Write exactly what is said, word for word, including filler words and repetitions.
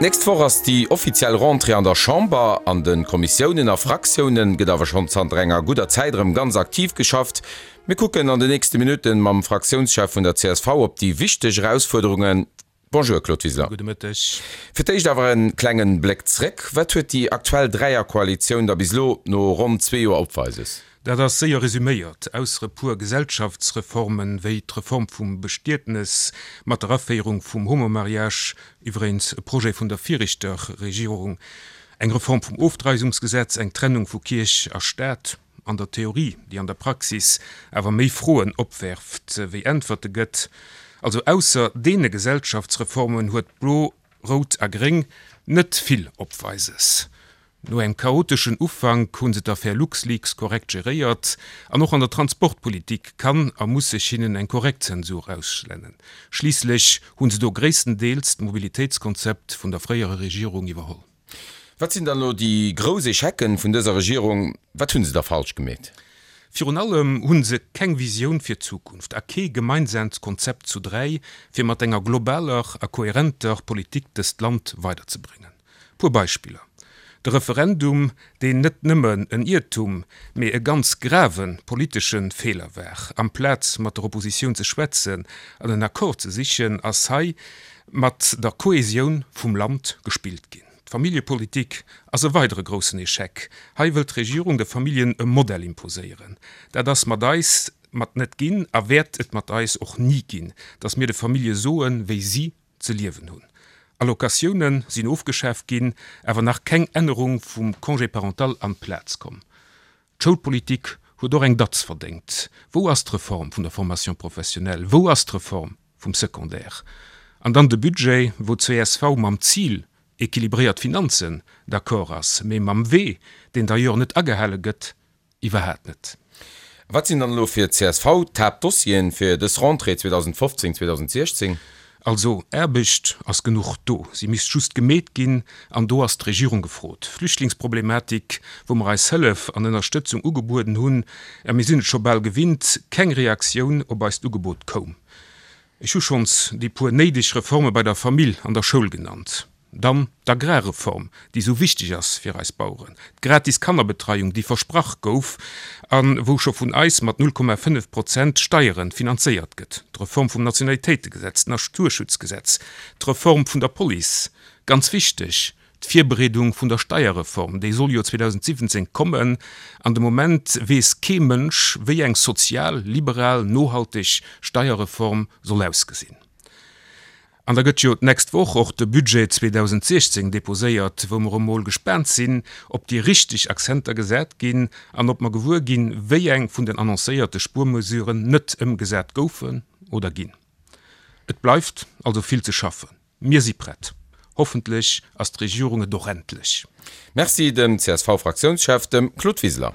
D'nächst Woch ass déi offiziell Rentrée an der Chamber. An de Kommissiounen a Fraktiounen gëtt awer schonn zanter enger gudder Zäit erëm ganz aktiv geschafft. Mir kucken an den nächste Minutten mam Fraktiounschef vun der csv op déi wichteg Erausfuerderungen. Bonjour Claude Wiseler. Gudde Mëtteg. Fir d'éischt awer en klengen Bléck zréck, Wat huet déi aktuell Dräierkoalitioun da bis elo no ronn zwee Joer opweises? Dat ass séier resüméiert, Ausser e puer Gesellschaftsreformen, wéi d'Reform vum Bestietnes mat der Aféierung vum Homomariage, iwweregens e Projet vun der viregter Regierung, eng Reform vum Ofdreiwungsgesetz, eng Trennung vu Kierch a Staat, an der Theorie, déi an der Praxis awer méi Froen opwerft wéi Äntwerte gëtt. Also ausser deene Gesellschaftsreformen huet Blo, Rout a Gréng net vill Opweises. No engem chaoteschen Ufank hu se d'Affär LuxLeaks korrekt geréiert an och an der Transportpolitik kann a muss sech hinnen eng korrekt Zensur ausschlennen. Schliisslech hu se do gréisstendeels d'Mobilitéitskonzept vun der fréierer Regierung iwwerholl. Wat sinn dann elo déi grouss Echecen vun dëser Regierung? Wat hu se da falsch gemeet? Virun allem hu se keng Visioun fir d'Zukunft a kee gemeinsaamt Konzept zu dräi, fir mat enger globaler a kohärenter Politik dëst Land weiderzebréngen. Puer Beispiller, De Referendum, deen net nëmmen en Iertum, mee e ganz grave politesche Feeler war. Amplaz mat der Oppositioun ze schwätzen an en Accord ze sichen, ass hei mat der Kohäsioun vum Land gespillt ginn. D'Familljepolitik ass e weidere groussen Echec. Hei wëllt d'Regierung de Familljen e Modell imposéieren. Dat ass mat eis mat net ginn a wäert et mat eis och ni ginn, dass mir de Famillje soen, wéi si ze liewen hunn. Allocatioune sinn ofgeschaaft ginn, awer nach keng Ännerung vum Congé parental an d'Plaz komm. D'Schoulpolitik huet och eng Datz verdéngt. Wou ass d'Reform vun der Formation professionnelle? Wou ass d'Reform vum Secondaire? An dann de Budget, wou d'CSV mam Zil équilibréiert Finanzen d'accord ass, mee mam Wee, deen d'ailleurs net agehale gëtt, iwwerhaat net. Wat sinn dann elo fir d'CSV d'Haaptdossieren fir dës Rentrée zweedausendfofzéng, zweedausendsiechzéng? Also, Aarbecht ass genuch do, si misst just gemeet ginn, an do ass d'Regierung gefrot. D'Flüchtlingsproblematik, wou mer eis Hëllef an Ënnerstëtzung ugebueden hunn, a mir sinn et scho bal gewinnt, keng Reaktioun op eist Ugebot koum. Ech hu schonns déi puer néideg Reforme bei der Famill an der Schoul genannt. Dann d'Agrarreform, déi esou wichteg ass fir eis Baueren, d'gratis Kannerbetreiung, déi versprach gouf a wou scho vun eis mat null Komma fënnef Prozent Steiere finanzéiert gëtt, d'Reform vum Nationalitéitegesetz, d'Naturschutzgesetz, d'Reform vun der Police, ganz wichteg, d'Virbereedung vun der Steierreform, déi soll jo zweedausendsiwwenzéng kommen, an de Moment weess kee Mënsch, wéi eng sozial, liberal, nohalteg Steierreform soll ausgesinn. An da gëtt jo d'nächst Woch och de Budget zweedausendsiechzéng deposéiert, wou mer emol gespaant sinn, ob déi richteg Accenter gesat ginn an ob mer gewuer ginn, wéi eng vun den annoncéierte Spuermesuren net ëmgesat goufen oder ginn. Et bleift also vill ze schaffen. Mir si prett. Hoffentlech ass d'Regierung et och endlech. Merci dem C S V-Fraktiounschef, dem Claude Wiseler.